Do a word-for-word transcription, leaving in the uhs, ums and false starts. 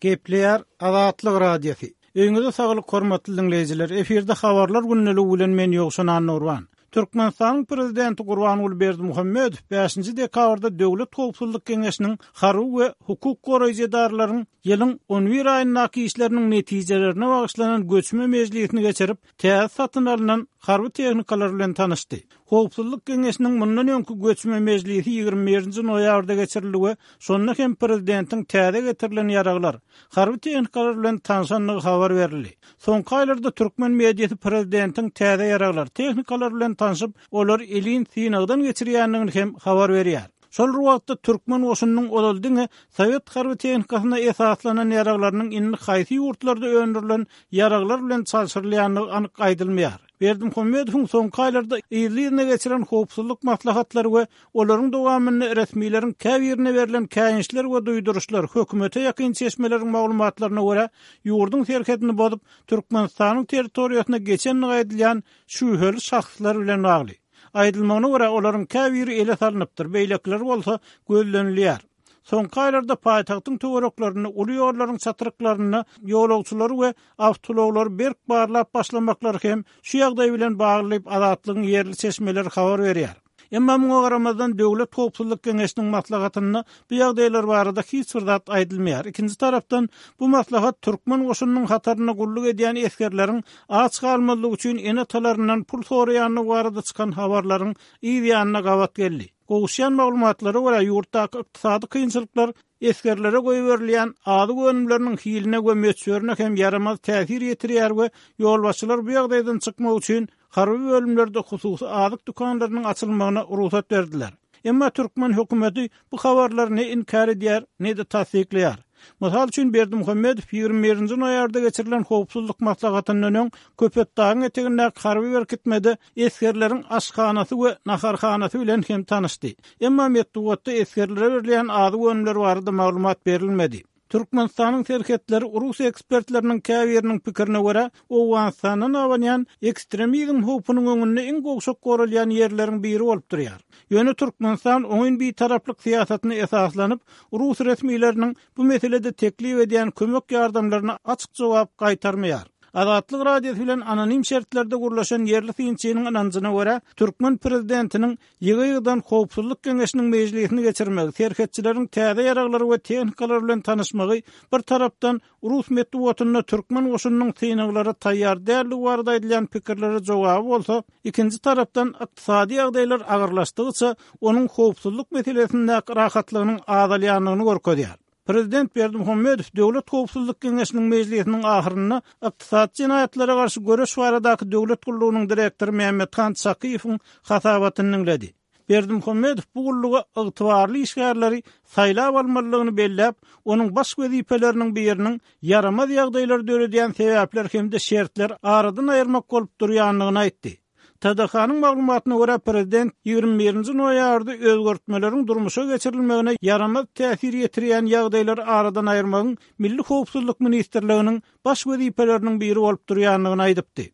Gepleýär Azatlyk Radiosy. Öýüňize saglyk hormatly dinleýjiler. Efirde habarlar gündeligi bilen men Ýowşan Annurban. Türkmenistanyň prezidenti Gurbanguly Berdimuhamedow bäşinji dekabrda Döwlet howpsuzlyk geňeşiniň harby we hukuk goraýjy edaralaryň ýylyň on bir aýyndaky işleriniň netijelerine bagyşlanan göçme mejlisini geçirip, täze satyn alnan harby tehnikalar bilen tanyşdy. Howpsuzlyk geňeşiniň mundan öňki göçme mejlisi ýigrimi birinji noýabrda geçirildi we şonda hem prezidentiň täze getirilen ýaraglar, harby tehnikalar bilen tanşandygy habar berildi. Soňky aýlarda türkmen mediasy prezidentiň täze ýaraglar, tehnikalar bilen tanşyp, olar elin synagdan geçirýändigini hem habar berýär. Şol bir wagtda türkmen goşunynyň ozal diňe Sowet harby tehnikasyna esaslanan ýaraglarynyň indi haýsy ýurtlarda öndürilen ýaraglar bilen çalşyrylýandygy anyk aýdylmaýar. Berdimuhamedowyň soňky aýlarda yzly-yzyna geçiren howpsuzlyk maslahatlary we olaryň dowamynda resmileriň käbirine berlen käýinçler we duýduryşlar hökümete ýakyn çeşmeleriň maglumatlaryna görä ýurduň serhedini bozup Türkmenistanyň territoriýasyna geçenligi aýdylýan şübheli şahslar bilen bagly. Aýdylmagyna görä olaryň käbiri ele salynypdyr, beýlekileri bolsa gözlenilýär. Soňky aýlarda paýtagtyň töwereklerinde, uly ýollaryň çatryklarynda ýolagçylary we awtoulaglary berk barlap başlamaklary hem şu ýagdaý bilen bagly diýip Azatlygyň ýerli çeşmeleri habar berýär. Emma muňa garamazdan Döwlet howpsuzlyk geňeşiniň maslahatynda bu ýagdaýlar barada hiç bir zat aýdylmaýar. Ikinji tarapdan bu maslahat türkmen goşunynyň hatarynda gulluk edýän esgerleriň aç galmazlygy üçin ene-atalaryndan pul soraýandygy barada çykan habarlaryň yz ýanyna gabat geldi. Gowuşýan maglumatlara görä ýurtdaky ykdysady kynçylyklar esgerlere goýberilýän azyk önümleriniň hiline we möçberine hem ýaramaz täsir ýetirýär we ýolbaşçylar bu ýagdaýdan çykmak üçin harby bölümlerde hususy azyk dükanlarynyň açylmagyna rugsat berdiler. Emma türkmen hökümeti bu habarlary ne inkär edýär, ne-de tassyklaýar. Mysal üçin Berdimuhamedow ýigrimi birinji noýabrda geçirilen howpsuzlyk maslahatyndan öň Köpetdagyň etegindäki harby berkitmede esgerleriň aşhanasy we naharhanasy bilen hem tanyşdy. Emma metbugatda esgerlere berilýän azyk önümleri barada maglumat berilmedi. Türkmenistanyň serhetleri Rus ekspertleriniň käbiriniň pikirine görä, Owganystandan abanýan ekstremizm howpunyň öňünde iň gowşak goralýan ýerleriň biri bolup durýar. Ýöne Türkmenistan oňyn bitaraplyk syýasatyna esaslanyp, Rus resmileriniň bu meselede teklip edýän kömek ýardamlaryna açyk jogap gaýtarmaýar. Azatlyk Radiosy bilen anonim şertlerde gurlaşan ýerli synçynyň ynanjyna görä, türkmen prezidentiniň ýygy-ýygydan howpsuzlyk geňeşiniň mejlisini geçirmegi, serhetçileriň täze ýaraglary we tehnikalar bilen tanyşmagy bir tarapdan Rus metbugatynda türkmen goşunynyň synaglara taýýar däldigi barada aýdylýan pikirlere jogaby bolsa, ikinji tarapdan ykdysady ýagdaýlar agyrlaşdygyça onuň howpsuzlyk meselesindäki rahatlygynyň azalýandygyny görkezýär. Prezident Berdimuhamedow Döwlet howpsuzlyk geňeşiniň mejlisiniň ahyrynda ykdysady jenaýatlara garşy göreş baradaky döwlet gullugynyň direktory Mehmethan Çakyýewiň hasabatyny diňledi. Berdimuhamedow bu gulluga ygtybarly işgärleri saýlap almalydygyny belläp, onuň baş wezipeleriniň biriniň ýaramaz ýagdaýlary döredýän sebäpler hem-de şertler aradan aýyrmak bolup durýandygyny aýtdy. T D H-nyň maglumatyna görä prezident ýigrimi birinji noýabrda özgertmeleriň durmuşa geçirilmegine ýaramaz täsir ýetirýän ýagdaýlary aradan aýyrmagyň Milli howpsuzlyk ministrliginiň baş wezipeleriniň biri bolup durýandygyny aýdypdy.